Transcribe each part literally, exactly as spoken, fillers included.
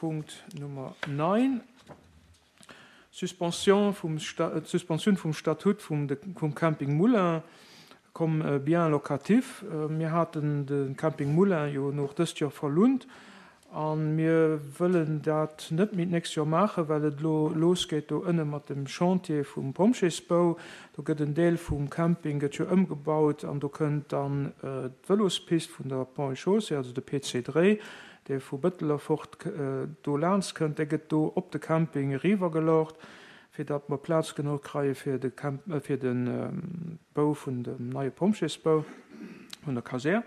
Punkt Nummer neun, Suspension vum Sta-, d'Suspensioun vum Statut vum, vum Camping Moulin comme bien locatif. Mir haten de Camping Moulin jo nach dëst Joer verlount a mir wëllen dat net méi d'nächst Joer maachen, well et elo losgeet do ënne mat dem Chantier vum Pompjeesbau. Do gëtt en Deel vum Camping gëtt jo ëmgebaut an do kënnt dann d'Vëlospist vun der Ponts et Chaussées, also de P C dräi, dee vu Bëttel erfort do laanst kënnt, dee gëtt do op de Camping eriwwergeluecht, fir datt mer Plaz genuch kreie fir de Camp, fir de Bau vun dem neie Pompjeesbau vun der Kasär.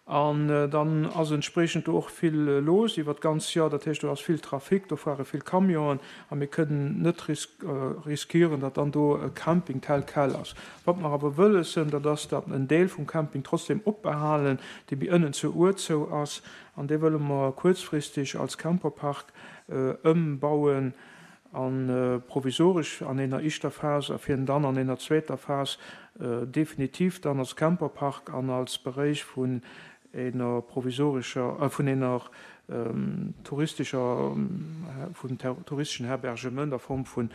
An dann ass entspriechend do och vill los iwwer d'ganz Joer, dat heescht, do ass vill Trafic, do fuere vill Camionen a mir kënnen net riskieren, datt dann do e Camping tel quel ass. Wat mer awer wëlles sinn, dat ass, datt en Deel vum Camping trotzdem opbehalen, dee méi ënnen zur Our zou ass, an dee wëlle mer kuerzfristeg als Camperpark ëmbauen a provisoresch an enger éischter Phas a fir en dann an enger zweeter Phas definitiv dann als Camperpark an als Beréich vun enger provisorescher, vun enger touristescher, vun touristeschen Herbergement a Form vun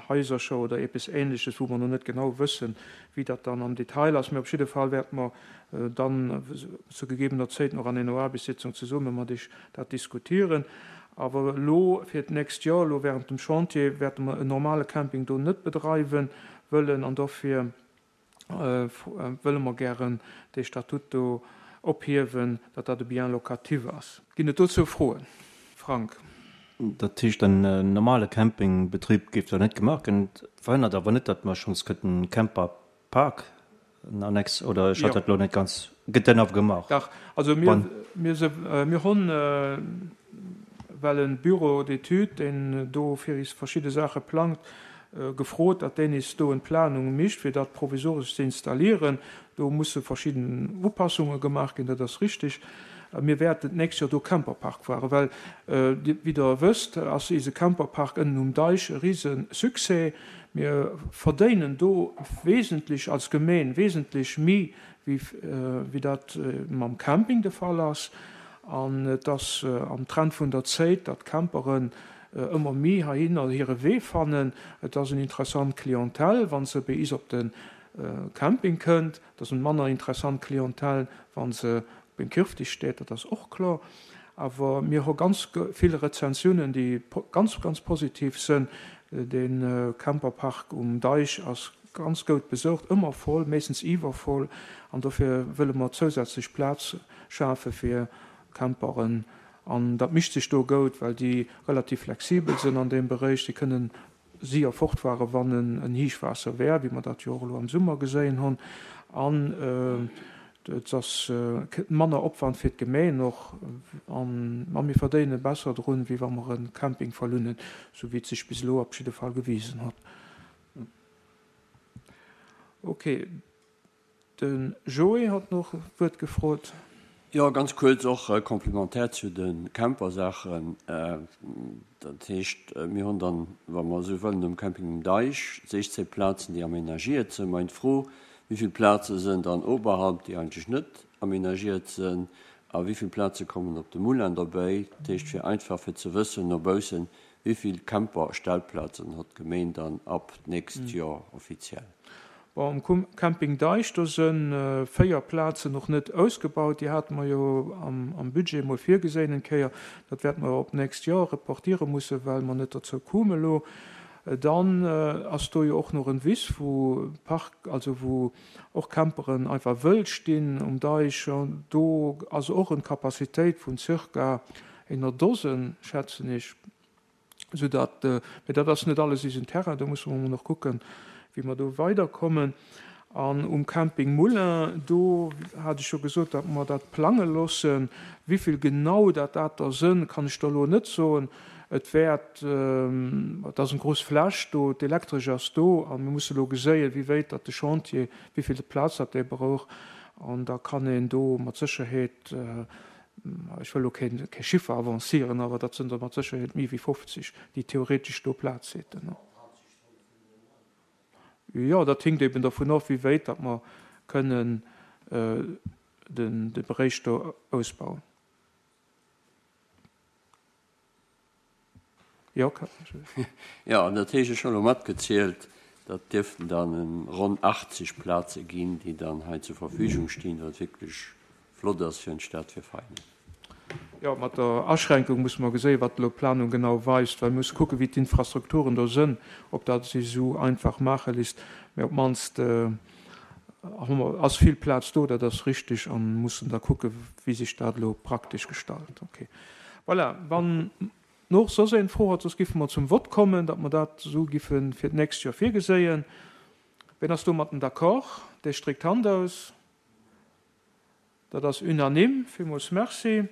Haisercher oder eppes Ähnleches, wou mer noch net genau wëssen, wéi dat dann am Detail ass. Mee op jidde Fall wäerte mer dann zu gegebener Zäit nach an enger Aarbechtssitzung zesumme mat iech dat diskutieren. Awer elo fir d'nächst Joer, elo während dem Chantier, wäerte mer en normale Camping do net bedreiwen wëllen an dofir wëlle mer gären dee Statut do ophiewen, datt dat e Bien locatif ass. Ginn et dozou Froen? Frank. Dat heescht, en normale Campingbetrib géif do net gemaach ginn. Verhënnert awer net, datt mer schonns kënnten Camperpark en Annex, oder ech hat dat elo net ganz, gëtt den awer gemaach? Dach, also mir, mir se, mir hunn well en Bureau d'études, deen do fir is verschidde Saache plangt, gefrot, datt deen is do en Planung mécht, fir dat provisoresch ze installieren. Do musse verschidden Upassunge gemaach ginn, dat ass richtig. Mir wäerten d'nächst Joer do Camperpark fueren, well, wéi Der wësst, ass ise Camperpark ënnen um Deich e rise Succès. Mir verdéinen do wesentlech als Gemeen wesentlech méi, wéi, wéi dat mam Camping de Fall ass. An et ass am Trend vun der Zéit, datt Camperen ëmmer méi heihinner hire Wee fannen. Et ass en interessant Clientèle, wa se bei is op de Camping kënnt. Et ass en manner interessant Clientèle, wa se op en Kirftisch steet, dat ass och kloer. Awer mir hu ganz vill Rezensiounen, déi ganz, ganz positiv sënn. De Camperpark um Deich ass ganz goud besucht, ëmmer voll, meeschtens iwwervoll. An dofir wëlle mer zousätzlech Plaz schafe fir Camperen. An dat mischt sech do goud, well déi relativ flexibel sinn an deem Beréich. Si kënnen séier fortfuere wann en Héichwaasser wär, wéi mer dat jo och elo am Summer geséien hunn. An et ass manner Opwand fir d'Gemeen och an ma mir verdéine besser drun, wéi wa mer en Camping verlounen, sou wéi et sech bis elo op jidde Fall gewisen huet. Ok, de Joé hat nach d'Wuert gefrot. Jo, ganz kuerz och complémentaire zu de Campersaachen. Dat heescht, mir hunn dann, wa mer esou wëllen, um Camping um Deich sechzéng Plazen, déi aménagiert sinn. Meng Fro: Wéi vill Plaze sinn dann oberhalb, déi eigentlech net aménagiert sinn, a wéi vill Plaze kommen op de Moulin derbäi? Dat heescht, fir einfach fir ze wëssen no baussen, wéi vill Camperstellplazen huet d'Gemeen dann ab d'nächst Joer offiziell? Bon, um Camping Deich, do si véier Plazen nach net ausgebaut. Déi hate mer jo am Budget mol virgeséin eng Kéier. Dat wäerte mer op d'nächst Joer reportiere mussen, well mer net dozou kume elo. Dann ass do jo och nach en Wiss, wou Park, also wou och Camperen einfach wëll stinn um Deich. Do ass och en Capacitéit vun circa enger Dosen, schätzen ech, soudatt, mee dat ass net alles isen Terrain, do musse mer mol nach kucken, wéi mer do weiderkommen. An um Camping Moulin, do hat ech jo gesot, datt mer dat plange loossen. Wéi vill genau dat dat der sënn, kann ech der elo net soen. Et wäert, et ass eng grouss Fläch do, d'Elektresch ass do a mir musse elo geséien, wéi wéit datt de Chantier, wéi vill Plaz dat dee brauch. An da kann een do mat Sécherheet, ech wëll elo kee kee Chiffer avancieren, awer dat sënn der mat Sécherheet méi wéi fofzeg, déi theoretesch do Plaz hätten. Jo, dat hinkt eben dovun of, wéi wéit datt mer kënnen den de Beréich do ausbauen. Jo, Jo, an dat heescht, ech hunn elo matgezielt, dat dierften dann ronn achtzeg Plaze ginn, déi dann hei zur Verfügung stinn, wat wierklech flott ass fir en Stad fir Veinen. Jo, mat der Aschränkung musse mer geséien, wat elo d'Planung genau weist, well mir musse kucken, wéi d'Infrastrukturen do sënn, ob dat sech esou einfach maache lisst. Mä op d'mannst hu mer, ass vill Plaz do, dat ass richtig, a mussen da kucken, wéi sech dat elo praktesch gestalt. Okay. Voilà, wann och soss een Fro huet, soss giffe mer zum Vott kommen, datt mer dat esou giffe fir d'nächst Joer virgeséien. Wien ass domatten d'accord? Dee stréckt d'Hand aus. Dat ass unanime. Villmools Merci.